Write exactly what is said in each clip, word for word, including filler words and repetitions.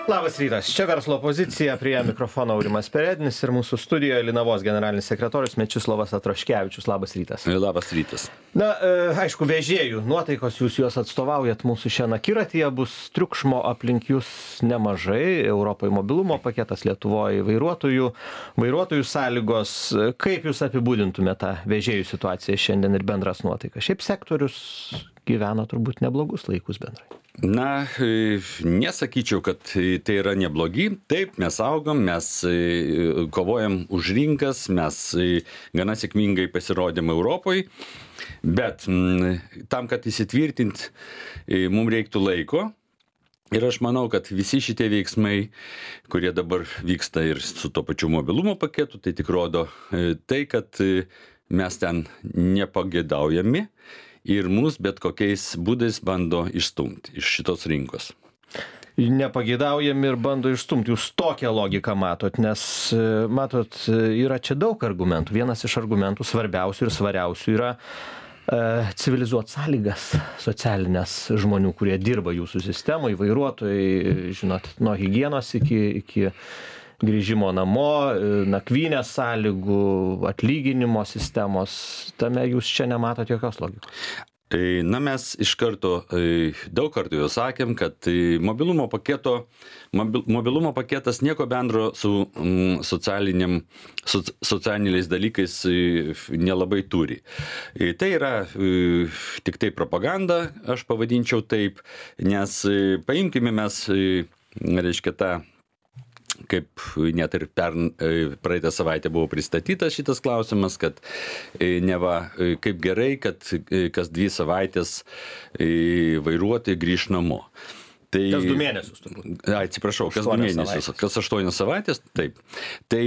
Labas rytas, čia verslo pozicija, prie mikrofono Aurimas Perednis ir mūsų studijoje Linavos generalinis sekretorius Mečislovas Atraškevičius. Labas rytas. Labas rytas. Na, aišku, vežėjų nuotaikos, jūs juos atstovaujat mūsų šiandien akiratyje, bus triukšmo aplink jūs nemažai, Europoje mobilumo paketas, Lietuvoje vairuotojų, vairuotojų sąlygos. Kaip jūs apibūdintumėte tą vežėjų situaciją šiandien ir bendras nuotaikas? Šiaip sektorius gyvena turbūt neblogus laikus bendrai. Na, nesakyčiau, kad tai yra neblogi. Taip, mes augam, mes kovojam už rinkas, mes gana sėkmingai pasirodėm Europoje, bet tam, kad įsitvirtint, mums reiktų laiko. Ir aš manau, kad visi šitie veiksmai, kurie dabar vyksta ir su to pačiu mobilumo paketu, tai tik rodo tai, kad mes ten nepageidaujami ir mus bet kokiais būdais bando išstumti iš šitos rinkos. Nepageidaujami ir bando išstumti. Jūs tokią logiką matot, nes, matot, yra čia daug argumentų. Vienas iš argumentų svarbiausių ir svariausių yra e, civilizuot sąlygas socialinės žmonių, kurie dirba jūsų sistemoje, vairuotojai, žinot, nuo higienos iki, iki grįžimo namo, nakvynės sąlygų, atlyginimo sistemos. Tame jūs čia nematot jokios logikos. Na, mes iš karto, daug kartų jau sakėm, kad mobilumo paketo, mobilumo paketas nieko bendro su socialiniam, socialiniais dalykais nelabai turi. Tai yra tik tai propaganda, aš pavadinčiau taip, nes paimkime mes, reiškia, tą, kaip net ir per praeitą savaitę buvo pristatytas šitas klausimas, kad neva kaip gerai, kad kas dvi savaitės vairuotojai grįš namo. Tai, kas du mėnesius turbūt. Atsiprašau, kas du mėnesius, kas aštuonios savaitės, taip. Tai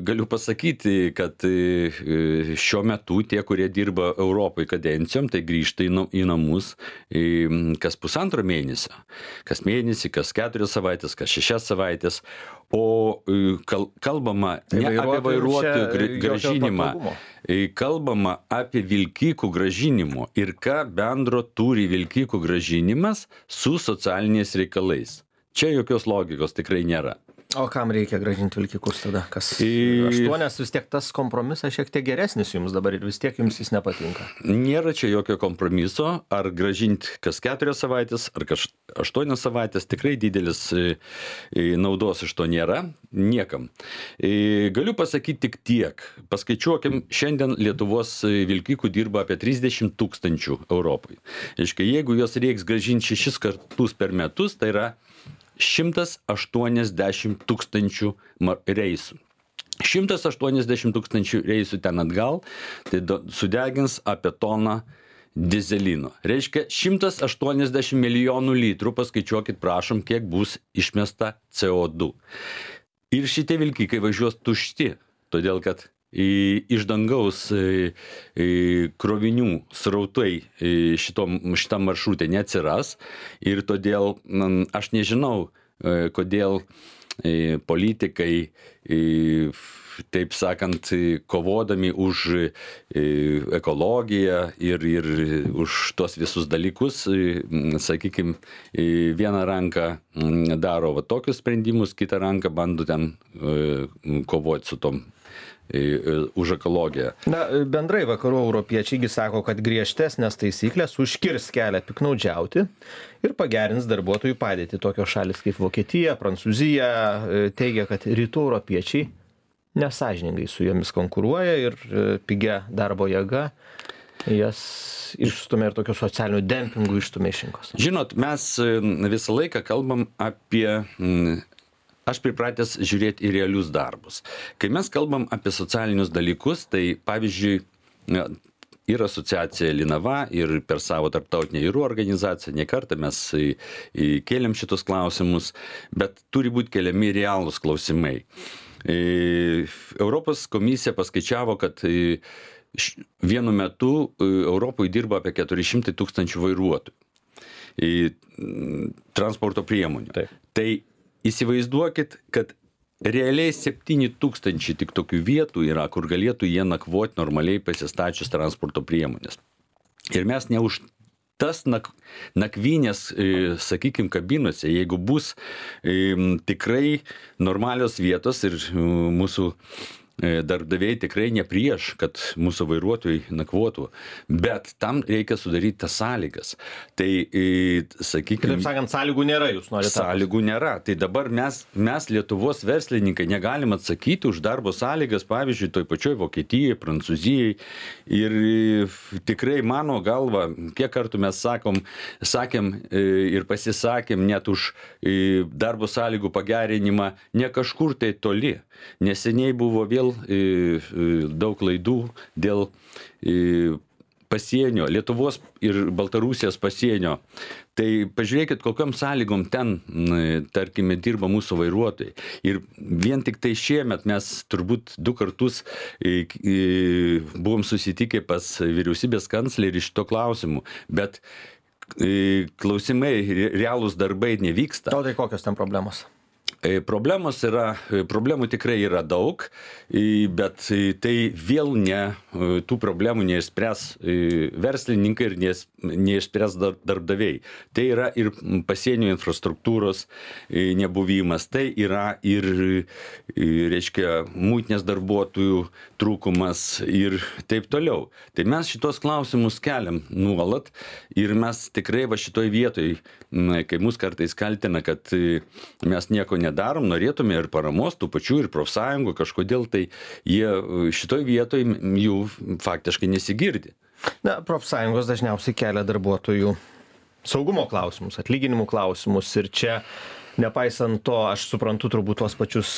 galiu pasakyti, kad šiuo metu tie, kurie dirba Europai kadencijom, tai grįžta į namus kas pusantro mėnesio, kas mėnesį, kas keturias savaitės, kas šešias savaitės, o kalbama ne apie vairuotojų grąžinimą, kalbama apie vilkikų grąžinimo ir ką bendro turi vilkikų grąžinimas su socialiniais reikalais. Čia jokios logikos tikrai nėra. O kam reikia grąžinti vilkikus tada? Kas aštuonias vis tiek tas kompromisas šiek tiek geresnis jums dabar ir vis tiek jums jis nepatinka. Nėra čia jokio kompromiso, ar grąžinti kas keturias savaitės, ar kas aštuonias savaitės, tikrai didelis naudos iš to nėra, niekam. Galiu pasakyti tik tiek, paskaičiuokim, šiandien Lietuvos vilkikų dirba apie trisdešimt tūkstančių Europai. Aiškiai, jeigu jos reiks grąžinti šešis kartus per metus, tai yra šimtas aštuoniasdešimt tūkstančių reisų. šimtas aštuoniasdešimt tūkstančių reisų ten atgal, tai sudegins apie toną dizelino. Reiškia, šimtas aštuoniasdešimt milijonų litrų, paskaičiuokit, prašom, kiek bus išmesta C O du. Ir šitie vilkikai važiuos tušti, todėl kad iš dangaus krovinių srautai šitom, šitam maršrutė neatsiras ir todėl aš nežinau, kodėl politikai, taip sakant, kovodami už ekologiją ir, ir už tos visus dalykus, sakykime, vieną ranką daro va tokius sprendimus, kitą ranką bando ten kovoti su tom už ekologiją. Na, bendrai vakarų europiečiai sako, kad griežtesnės taisyklės užkirs kelią piknaudžiauti ir pagerins darbuotojų padėtį. Tokios šalis kaip Vokietija, Prancūzija teigia, kad rytų europiečiai nesąžiningai su jomis konkuruoja ir pigia darbo jėga jas išstumia ir tokių socialinių dempingų išstumia iš rinkos. Žinot, mes visą laiką kalbam apie... Aš pripratęs žiūrėti į realius darbus. Kai mes kalbam apie socialinius dalykus, tai pavyzdžiui, yra asociacija Linava ir per savo tarptautinę jūrų organizaciją ne kartą mes kėlėm šitus klausimus, bet turi būti keliami realūs klausimai. Europos komisija paskaičiavo, kad vienu metu Europoje dirba apie keturi šimtai tūkstančių vairuotojų transporto priemonių. Taip. Tai įsivaizduokit, kad realiai septyni tūkstančiai tik tokių vietų yra, kur galėtų jie nakvoti normaliai pasistačius transporto priemonės. Ir mes ne už tas nak, nakvynės, sakykime, kabinose, jeigu bus tikrai normalios vietos ir mūsų darbdaviai tikrai ne prieš, kad mūsų vairuotojai nakvotų, bet tam reikia sudaryti tas sąlygas. Tai, sakykime... Taip sakant, sąlygų nėra, jūs norite. Sąlygų nėra. Tai dabar mes, mes Lietuvos verslininkai negalim atsakyti už darbo sąlygas, pavyzdžiui, toj pačioj Vokietijai, Prancūzijai. Ir tikrai mano galva, kiek kartų mes sakom, sakėm ir pasisakėm net už darbo sąlygų pagerinimą ne kažkur tai toli. Neseniai buvo vėl daug klaidų dėl pasienio, Lietuvos ir Baltarusijos pasienio. Tai pažiūrėkit, kokiom sąlygom ten, tarkime, dirba mūsų vairuotojai. Ir vien tik tai šiemet mes turbūt du kartus buvom susitikę pas vyriausybės kanclerį šito klausimu, bet klausimai, realūs darbai nevyksta. O tai kokios ten problemos? Problemos yra, problemų tikrai yra daug, bet tai vėl ne, tų problemų neišspręs verslininkai ir neišspręs darbdaviai. Tai yra ir pasienio infrastruktūros nebuvimas, tai yra ir, reiškia, muitinės darbuotojų trūkumas ir taip toliau. Tai mes šitos klausimus keliam nuolat ir mes tikrai va šitoj vietoj, kai mus kartais kaltina, kad mes nieko nedarom, norėtume ir paramos, tų pačių ir profsąjungų, kažkodėl tai jie šitoj vietoj jų faktiškai nesigirdi. Na, profsąjungos dažniausiai kelia darbuotojų saugumo klausimus, atlyginimų klausimus ir čia, nepaisant to, aš suprantu turbūt tuos pačius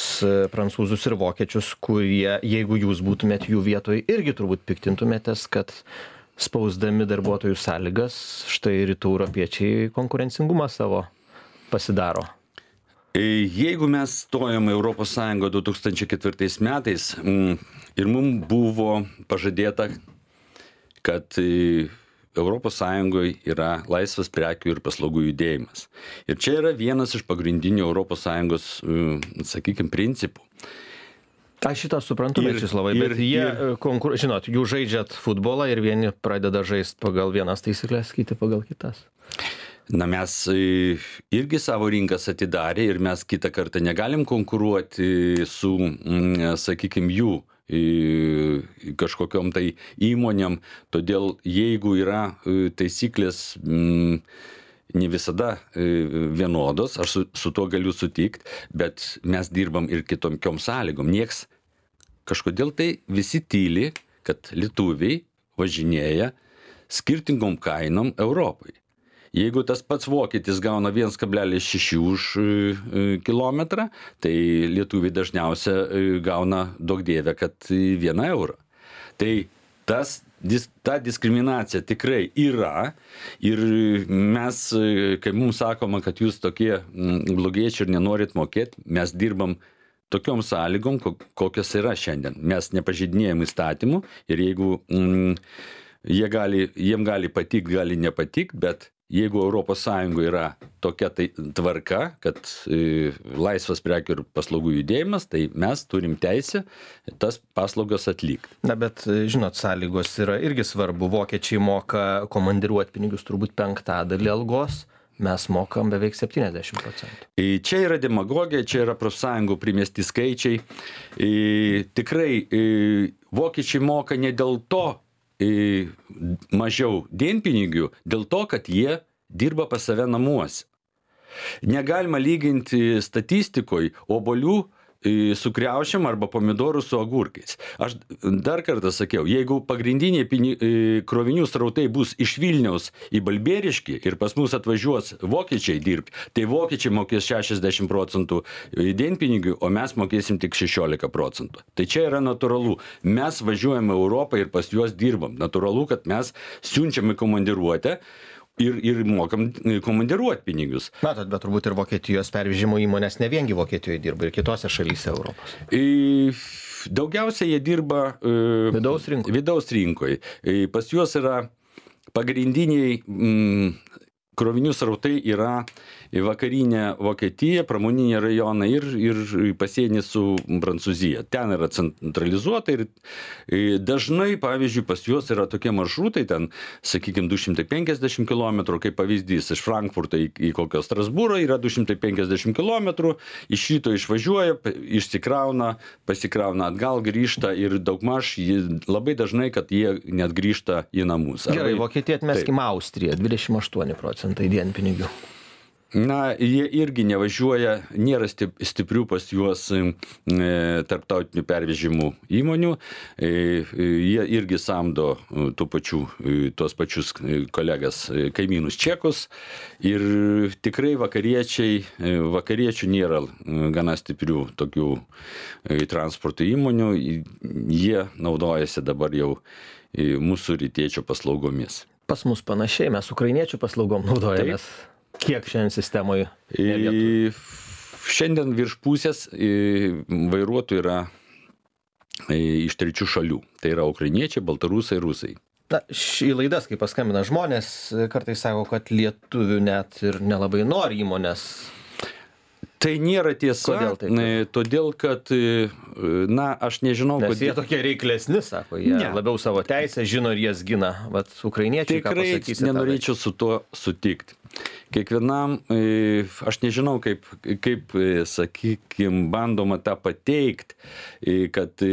prancūzus ir vokiečius, kurie, jeigu jūs būtumėt jų vietoj, irgi turbūt piktintumėtės, kad spausdami darbuotojų sąlygas, štai rytų europiečiai konkurencingumą savo pasidaro. Jeigu mes stojom į Europos Sąjungą du tūkstančiai ketvirtais metais ir mums buvo pažadėta, kad Europos Sąjungoje yra laisvas prekių ir paslaugų judėjimas. Ir čia yra vienas iš pagrindinių Europos Sąjungos, sakykime, principų. Aš šitą suprantu, Mečislovai, bet jie, ir... konkur... žinot, jūs žaidžiat futbolą ir vieni pradeda žaisti pagal vienas taisyklės, kiti pagal kitas. Na, mes irgi savo rinkas atidarė ir mes kitą kartą negalim konkuruoti su, sakykime, jų kažkokiom tai įmonėm. Todėl jeigu yra taisyklės ne visada vienodos, aš su, su tuo galiu sutikti, bet mes dirbam ir kitokiom sąlygom. Nieks kažkodėl tai visi tyli, kad lietuviai važinėja skirtingom kainom Europai. Jeigu tas pats vokietis gauna vienas kablelis šeši už kilometrą, tai lietuviai dažniausia gauna daug dievę, kad vieną eurą. Tai tas, ta diskriminacija tikrai yra ir mes, kai mums sakoma, kad jūs tokie blogiečiai ir nenorit mokėti, mes dirbam tokiom sąlygom, kokios yra šiandien. Mes nepažeidinėjam įstatymų ir jeigu mm, jie gali, jiem gali patikti, gali nepatikti, bet jeigu Europos Sąjungoje yra tokia tai tvarka, kad e, laisvas prekių ir paslaugų judėjimas, tai mes turim teisę tas paslaugas atlikti. Na, bet, žinot, sąlygos yra irgi svarbu. Vokiečiai moka komandiruoti pinigus turbūt penktadalį algos, mes mokam beveik septyniasdešimt procentų. E, čia yra demagogija, čia yra profsąjungų primesti skaičiai. E, tikrai e, vokiečiai moka ne dėl to, mažiau dienpinigių dėl to, kad jie dirba pas save namuose. Negalima lyginti statistikoje obuolių su kriaušėm arba pomidorų su agurkais. Aš dar kartą sakiau, jeigu pagrindiniai pini, krovinių srautai bus iš Vilniaus į Balbieriškį ir pas mus atvažiuos vokiečiai dirbti, tai vokiečiai mokės šešiasdešimt procentų dienpinigių, o mes mokėsim tik šešiolika procentų. Tai čia yra natūralu. Mes važiuojame Europą ir pas juos dirbam. Natūralu, kad mes siunčiame komandiruotę ir, ir mokam komandiruoti pinigus. Matot, bet turbūt ir Vokietijos pervežimo įmonės ne viengi Vokietijoje dirba, ir kitose šalyse Europos. E, daugiausiai jie dirba e, vidaus rinkoje. Vidaus rinkoje. E, pas juos yra pagrindiniai mm, krovinių srautai yra į vakarinę Vokietiją, pramoninį rajoną ir, ir pasienį su Prancūzija. Ten yra centralizuota ir dažnai, pavyzdžiui, pas juos yra tokie maršrutai, ten, sakykime, du šimtai penkiasdešimt kilometrų, kaip pavyzdys, iš Frankfurto į, į kokio Strasbūro yra du šimtai penkiasdešimt kilometrų, iš šito išvažiuoja, išsikrauna, pasikrauna atgal, grįžta ir daugmaž labai dažnai, kad jie net grįžta į namus. Gerai, Vokietija atmeskime Austriją, dvidešimt aštuoni procentai dienpinigių. Na, jie irgi nevažiuoja, nėra stiprių pas juos e, tarptautinių pervežimų įmonių, e, jie irgi samdo tų pačių, tuos pačius kolegas, kaimynus čekus ir tikrai vakariečiai, vakariečių nėra gana stiprių tokių transporto įmonių, jie naudojasi dabar jau mūsų rytiečio paslaugomis. Pas mus panašiai, mes ukrainiečių paslaugom naudojamės. Taip. Kiek šiandien sistemoje? Šiandien virš pusės vairuotojų yra iš trečių šalių. Tai yra ukrainiečiai, baltarusai, rusai. Na, į laidas, kai paskambina žmonės, kartais sako, kad lietuvių net ir nelabai nori įmonės. Tai nėra tiesa, Kodėl taip? Todėl kad, na, aš nežinau, Nes kodėl... jie tokie reiklesni, sako, jie ne. Labiau savo teisę žino ir jas gina. Vat ukrainiečiai, ką pasakysi? Tikrai nenorėčiau su tuo sutikti. Kiekvienam, aš nežinau, kaip, kaip sakykim, bandoma tą pateikti, kad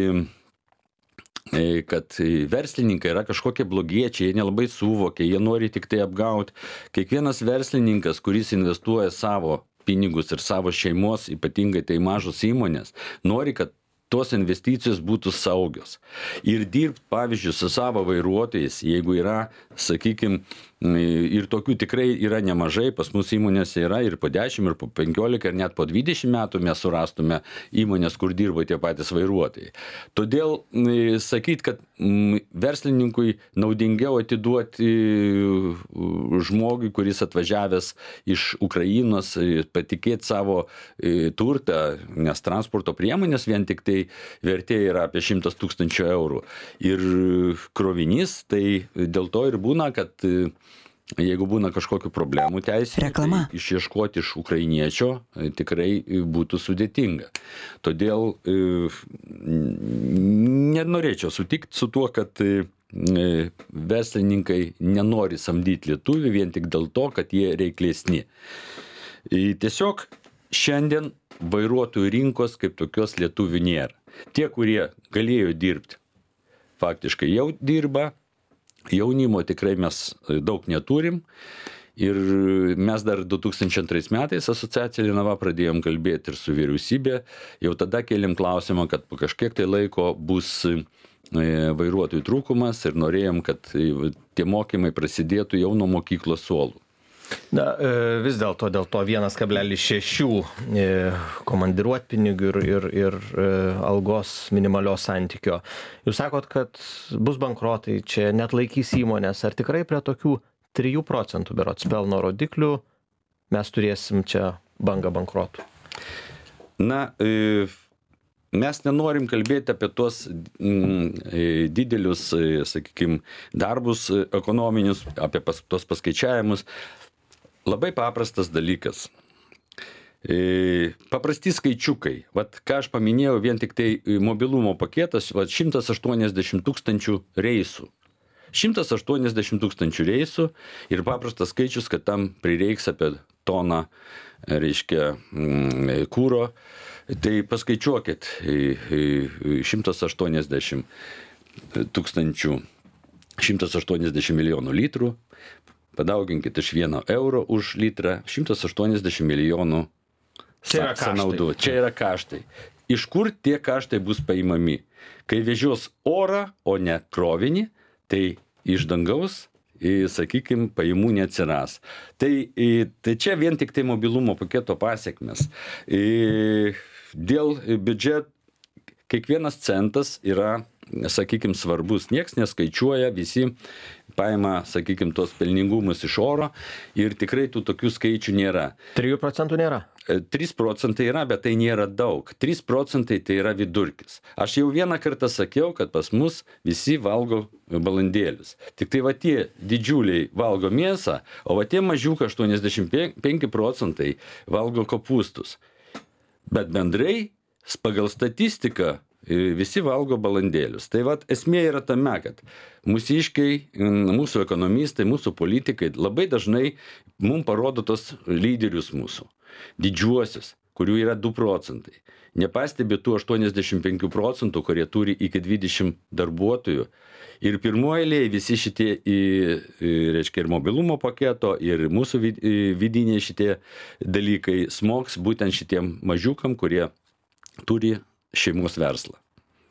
kad verslininkai yra kažkokie blogiečiai, jie nelabai suvokia, jie nori tik tai apgauti. Kiekvienas verslininkas, kuris investuoja savo pinigus ir savo šeimos, ypatingai tai mažos įmonės, nori, kad tos investicijos būtų saugios. Ir dirbti, pavyzdžiui, su savo vairuotojais, jeigu yra, sakykime, ir tokių tikrai yra nemažai, pas mus įmonėse yra ir po dešimt, ir po penkiolika, ir net po dvidešimt metų mes surastume įmonės, kur dirba tie patys vairuotojai. Todėl sakyti, kad verslininkui naudingiau atiduoti žmogui, kuris atvažiavęs iš Ukrainos, patikėti savo turtą, nes transporto priemonės vien tik tai vertė yra apie šimtas tūkstančių eurų. Ir krovinys, tai dėl to ir būna, kad jeigu būna kažkokių problemų teisinių, tai išieškoti iš ukrainiečio tikrai būtų sudėtinga. Todėl nenorėčiau sutikti su tuo, kad verslininkai nenori samdyti lietuvių vien tik dėl to, kad jie reiklesni. Tiesiog šiandien vairuotojų rinkos kaip tokios lietuvių nėra. Tie, kurie galėjo dirbti, faktiškai jau dirba. Jaunimo tikrai mes daug neturim ir mes dar du tūkstančiai antrais metais asociacija Linava pradėjom kalbėti ir su vyriausybė, jau tada kėlėm klausimą, kad po kažkiek tai laiko bus vairuotojų trūkumas ir norėjom, kad tie mokymai prasidėtų jau nuo mokyklos suolų. Na, vis dėlto dėl to vienas kablelis šeši komandiruotpinigių ir, ir, ir algos minimalios santykio. Jūs sakot, kad bus bankrotai, čia net laikys įmonės. Ar tikrai prie tokių trijų procentų berods pelno rodiklių mes turėsim čia bangą bankrotų? Na, mes nenorim kalbėti apie tuos didelius, sakykime, darbus ekonominius, apie pas, tuos paskaičiavimus. Labai paprastas dalykas. Paprasti skaičiukai. Vat, ką aš paminėjau, vien tik tai mobilumo paketas, vat, šimtas aštuoniasdešimt tūkstančių reisų. šimtas aštuoniasdešimt tūkstančių reisų ir paprastas skaičius, kad tam prireiks apie toną, reiškia, kūro. Tai paskaičiuokit, šimtas aštuoniasdešimt tūkstančių, šimtas aštuoniasdešimt milijonų litrų. Padauginkit iš vieno euro už litrą, šimtas aštuoniasdešimt milijonų sąnaudų. Čia yra kaštai. Iš kur tie kaštai bus paimami? Kai vežios orą, o ne krovinį, tai iš dangaus, sakykime, pajamų neatsiras. Tai, tai čia vien tik tai mobilumo paketo pasiekmes. Dėl biudžeto kiekvienas centas yra, sakykime, svarbus. Nieks neskaičiuoja, visi paima, sakykime, tos pelningumus iš oro ir tikrai tų tokių skaičių nėra. trijų procentų nėra? trys procentai yra, bet tai nėra daug. trys procentai tai yra vidurkis. Aš jau vieną kartą sakiau, kad pas mus visi valgo balandėlius. Tik tai va tie didžiuliai valgo mėsą, o va tie mažiukai aštuoniasdešimt penki procentai valgo kopūstus. Bet bendrai, pagal statistiką, visi valgo balandėlius. Tai vat esmė yra tame, kad mūsiškiai, mūsų ekonomistai, mūsų politikai labai dažnai mums parodo tos lyderius mūsų, didžiuosius, kurių yra du procentai. Nepastebi tų aštuoniasdešimt penki procentų, kurie turi iki dvidešimt darbuotojų. Ir pirmoje eilėje visi šitie, reiškia, ir mobilumo paketo, ir mūsų vidiniai šitie dalykai smogs būtent šitiem mažiukam, kurie turi šeimos verslą.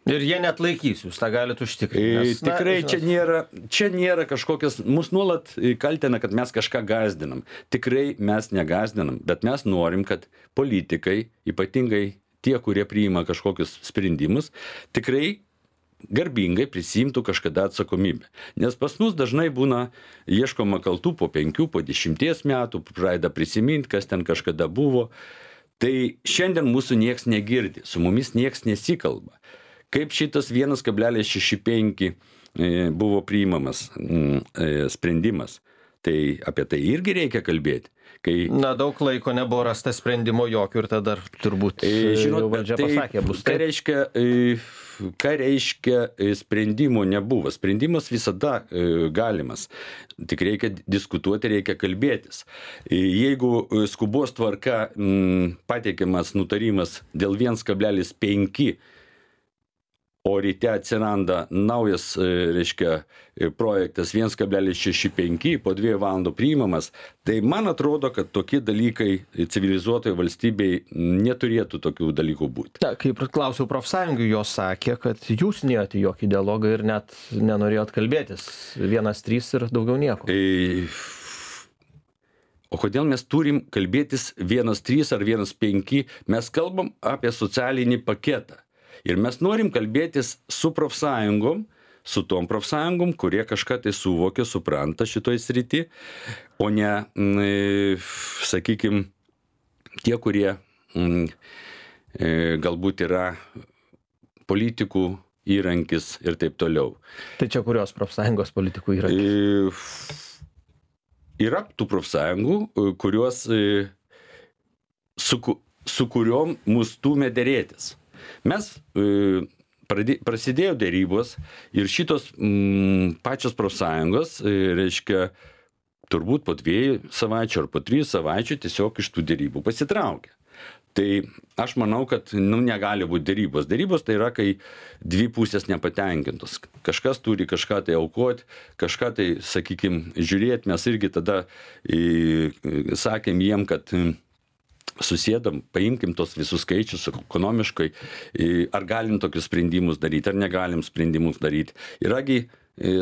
Ir jie net laikys, jūs tą galite užtikrinti. Nes, tikrai na, čia, nėra, čia nėra kažkokias, mus nuolat kaltina, kad mes kažką gazdinam. Tikrai mes negazdinam, bet mes norim, kad politikai, ypatingai tie, kurie priima kažkokius sprendimus, tikrai garbingai prisimtų kažkada atsakomybę. Nes pas mus dažnai būna ieškoma kaltų po penkių, po dešimties metų, pradeda prisiminti, kas ten kažkada buvo. Tai šiandien mūsų nieks negirdi, su mumis nieks nesikalba. Kaip šitas vienas kablelis šeši penki buvo priimamas sprendimas, tai apie tai irgi reikia kalbėti. Kai... Na, daug laiko nebuvo rasta sprendimo jokių ir tada turbūt Žinot, valdžia tai, pasakė, bus ką reiškia, ką reiškia sprendimo nebuvo. Sprendimas visada galimas. Tik reikia diskutuoti, reikia kalbėtis. Jeigu skubos tvarka pateikiamas nutarimas dėl vienas kablelis penki, o ryte atsiranda naujas, reiškia, projektas vienas kablelis šeši penki, po dviejų valandų priimamas, tai man atrodo, kad tokie dalykai civilizuotoje valstybėje neturėtų tokių dalykų būti. Ta, kaip klausiau profsąjungų, jos sakė, kad jūs neėjote jokį dialogą ir net nenorėjot kalbėtis. Vienas trys ir daugiau nieko. E... O kodėl mes turim kalbėtis vienas trys ar vienas penki? Mes kalbam apie socialinį paketą. Ir mes norim kalbėtis su profsąjungom, su tom profsąjungom, kurie kažką tai suvokia, supranta šitoj srity, o ne, sakykime, tie, kurie m, galbūt yra politikų įrankis ir taip toliau. Tai čia kurios profsąjungos politikų įrankis? Yra tų profsąjungų, kurios, su, su kuriuom mus stūmė derėtis. Mes e, pradė, prasidėjo dėrybos ir šitos m, pačios profsąjungos, e, reiškia, turbūt po dviejų savaičių ar po trijų savaičių tiesiog iš tų dėrybų pasitraukė. Tai aš manau, kad nu, negali būti dėrybos. Dėrybos tai yra, kai dvi pusės nepatenkintos. Kažkas turi kažką tai aukoti, kažką tai, sakykime, žiūrėti. Mes irgi tada e, sakėm jiem, kad susėdam, paimkim tos visus skaičius ekonomiškai, ar galim tokius sprendimus daryti, ar negalim sprendimus daryti. Yragi,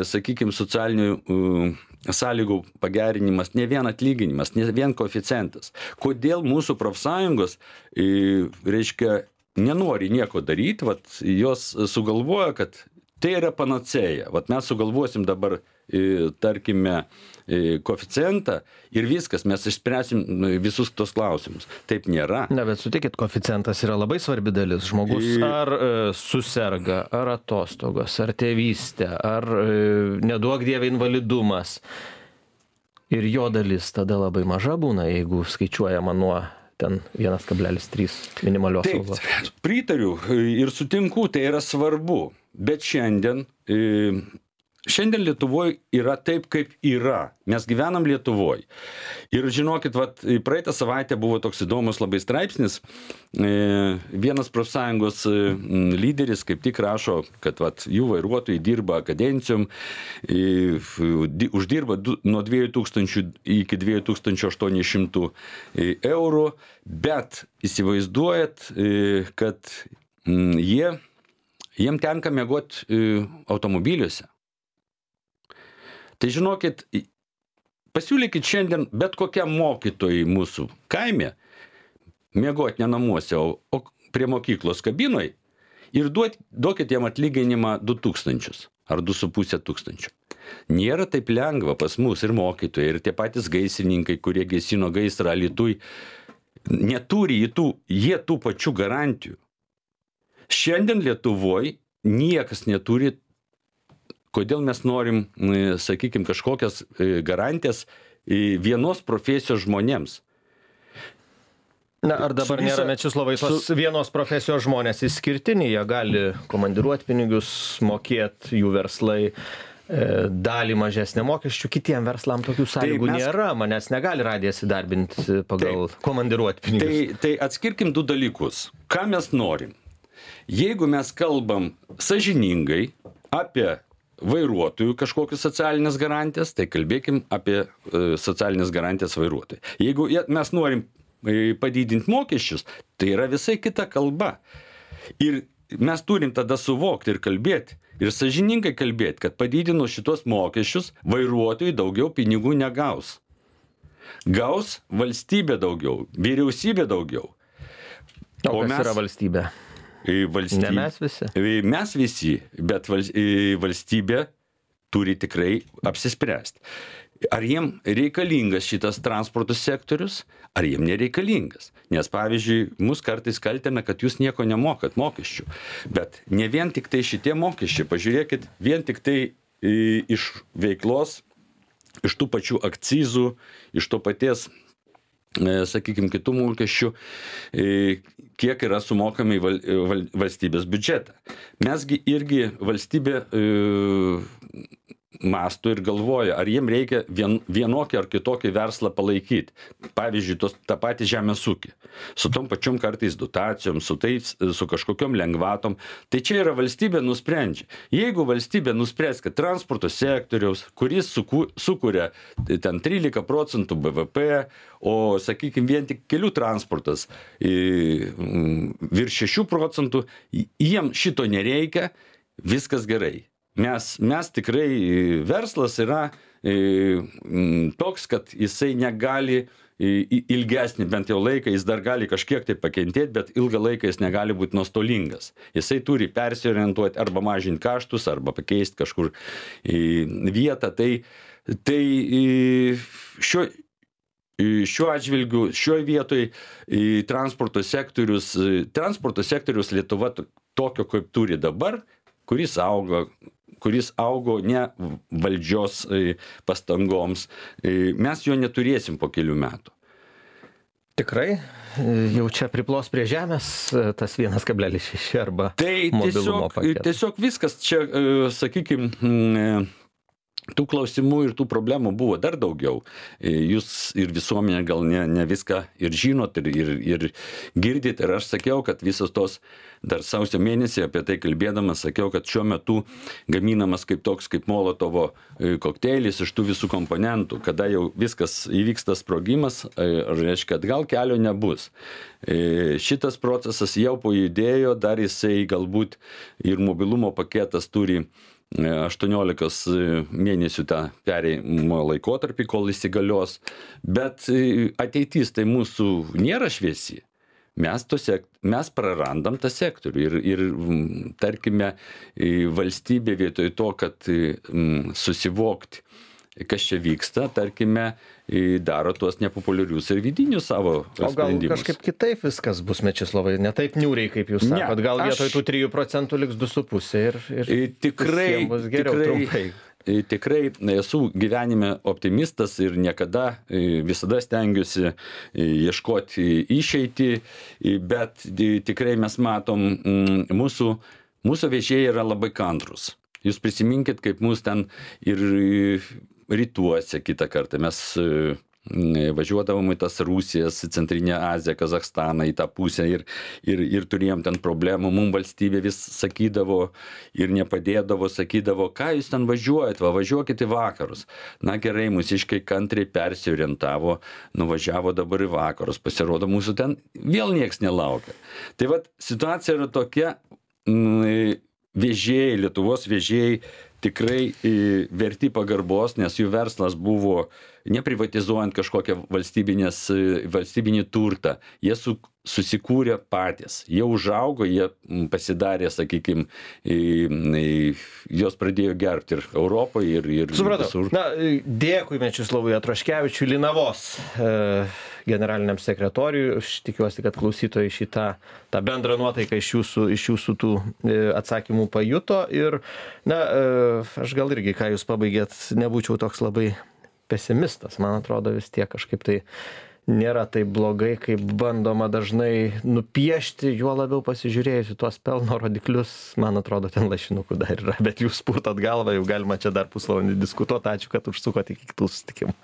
sakykime, socialinių sąlygų pagerinimas, ne vien atlyginimas, ne vien koeficientas. Kodėl mūsų profsąjungos, reiškia, nenori nieko daryti, vat, jos sugalvoja, kad tai yra panacėja. Vat mes sugalvosim dabar, tarkime, koeficientą ir viskas, mes išspręsim visus tos klausimus. Taip nėra. Ne, bet sutikit, koeficientas yra labai svarbi dalis. Žmogus ar e, suserga, ar atostogos, ar tėvystė, ar e, neduok dieve invalidumas. Ir jo dalis tada labai maža būna, jeigu skaičiuojama nuo ten vienas kablelis trys minimalios algos. Taip, pritariu ir sutinku, tai yra svarbu. Bet šiandien... E, Šiandien Lietuvoje yra taip, kaip yra. Mes gyvenam Lietuvoje. Ir žinokit, vat, praeitą savaitę buvo toks įdomus labai straipsnis. Vienas profsąjungos lyderis kaip tik rašo, kad vat, jų vairuotojai dirba kadencijom, uždirba nuo dviejų tūkstančių iki dviejų tūkstančių aštuonių šimtų eurų, bet įsivaizduojat, kad jie, jiem tenka miegoti automobiliuose. Tai žinokit, pasiūlykit šiandien bet kokiam mokytojui mūsų kaime miegoti ne namuose, o, o prie mokyklos kabinoj ir duot, duokit jam atlyginimą du tūkstančius ar du su puse tūkstančių. Nėra taip lengva pas mus ir mokytojai, ir tie patys gaisrininkai, kurie gesino gaisrą Alytuj, neturi jie tų, jie tų pačių garantijų. Šiandien Lietuvoje niekas neturi, kodėl mes norim, sakykime, kažkokias garantijas vienos profesijos žmonėms. Na, ar dabar visa, nėra, Mečislovai, tos su... vienos profesijos žmonės išskirtiniai, jie gali komandiruoti pinigus, mokėti jų verslai, e, dalį mažesnę mokesčių, kitiem verslam tokių sąlygų tai mes... nėra, manęs negali radijas įdarbinti pagal tai, komandiruoti pinigus. Tai, tai atskirkim du dalykus. Ką mes norim? Jeigu mes kalbam sąžiningai apie vairuotojų kažkokius socialinės garantijas, tai kalbėkim apie e, socialinės garantijas vairuotojų. Jeigu mes norim padidinti mokesčius, tai yra visai kita kalba. Ir mes turim tada suvokti ir kalbėti, ir sąžiningai kalbėti, kad padidinus šitos mokesčius, vairuotojai daugiau pinigų negaus. Gaus valstybė daugiau, vyriausybė daugiau. O, o kas mes, yra valstybė? valstybė? Ne mes visi. Mes visi, bet valstybė turi tikrai apsispręsti. Ar jiem reikalingas šitas transporto sektorius, ar jiem nereikalingas. Nes, pavyzdžiui, mus kartais kaltina, kad jūs nieko nemokat mokesčių. Bet ne vien tik tai šitie mokesčiai. Pažiūrėkit, vien tik tai iš veiklos, iš tų pačių akcizų, iš to paties, sakykime, kitų mokesčių, kiek yra sumokami į valstybės biudžetą. Mesgi irgi valstybė mąsto ir galvoja, ar jiem reikia vien, vienokį ar kitokį verslą palaikyti. Pavyzdžiui, tos, tą patį žemės ūkį. Su tom pačiom kartais dotacijom, su, tais, su kažkokiom lengvatom. Tai čia yra valstybė nusprendžia. Jeigu valstybė nuspręs, kad transporto sektoriaus, kuris suku, sukuria ten trylika procentų B V P, o, sakykime, vien tik kelių transportas virš šešių procentų, jiem šito nereikia, viskas gerai. Mes, mes tikrai, verslas yra e, toks, kad jisai negali e, ilgesnį bent jau laiką, jis dar gali kažkiek tai pakentėti, bet ilgą laiką jis negali būti nuostolingas. Jisai turi persiorientuoti arba mažinti kaštus, arba pakeisti kažkur e, vietą. Tai, tai e, šiuo, šiuo atžvilgiu, šioje vietoje e, transporto sektorius, e, transporto sektorius Lietuva tokio, kaip turi dabar, kuris auga, kuris augo ne valdžios pastangoms, mes jo neturėsim po kelių metų. Tikrai? Jau čia priplos prie žemės tas vienas kablelis šeši arba tai mobilumo paketas? Tai tiesiog viskas čia, sakykime, tų klausimų ir tų problemų buvo dar daugiau. Jūs ir visuomenė gal ne, ne viską ir žinot, ir, ir, ir girdit. Ir aš sakiau, kad visos tos, dar sausio mėnesį apie tai kalbėdamas, sakiau, kad šiuo metu gaminamas kaip toks, kaip Molotovo kokteilis iš tų visų komponentų. Kada jau viskas įvyksta sprogimas, reiškia, kad gal kelio nebus. Šitas procesas jau pajudėjo, dar jisai galbūt ir mobilumo paketas turi aštuoniolikos mėnesių tą perėjimo laikotarpį, kol įsigalios, bet ateitis tai mūsų nėra šviesi. Mes, sek, mes prarandam tą sektorių ir, ir tarkime, valstybė vietoj to, kad susivokti, kas čia vyksta, tarkime, daro tuos nepopuliarius ir vidinius savo sprendimus. O gal kažkaip kitaip viskas bus, Mečislovai, ne taip niūriai, kaip jūs sakot, ne, gal vietoj aš... tų trijų procentų liks du su pusė ir, ir tikrai, bus geriau tikrai, trumpai. Tikrai esu gyvenime optimistas ir niekada, visada stengiuosi ieškoti išeitį, bet tikrai mes matom, mūsų, mūsų vežėjai yra labai kantrus. Jūs prisiminkit, kaip mūsų ten ir rytuose kitą kartą mes važiuodavom į tas Rusijas, į Centrinę Aziją, Kazachstaną, į tą pusę ir, ir, ir turėjom ten problemų. Mums valstybė vis sakydavo ir nepadėdavo, sakydavo, ką jūs ten važiuojat, va, važiuokit į vakarus. Na gerai, mūsiškai kantriai persiorientavo, nuvažiavo dabar į vakarus, pasirodo mūsų ten vėl nieks nelaukia. Tai vat situacija yra tokia, vežėjai, Lietuvos vežėjai tikrai verti pagarbos, nes jų verslas buvo neprivatizuojant kažkokią valstybinį turtą. Jie su, susikūrė patys. Jie užaugo, jie pasidarė, sakykime, jos pradėjo gerbti ir Europoje, ir, ir Supratau. visur. Na, dėkui Mečislovui Atraškevičiui, Linavos e, generaliniam sekretoriui. Aš tikiuosi, kad klausytojai šitą tą bendrą nuotaiką iš jūsų, iš jūsų tų e, atsakymų pajuto. Ir, na, e, aš gal irgi, ką jūs pabaigėt, nebūčiau toks labai pesimistas. Man atrodo, vis tiek kažkaip tai nėra taip blogai, kaip bandoma dažnai nupiešti, juo labiau pasižiūrėjus į tuos pelno rodiklius, man atrodo, ten lašinukų dar yra, bet jūs purtot galvą, jau galima čia dar pusvalandį diskutuoti. Ačiū, kad užsukot iki kitų susitikimų.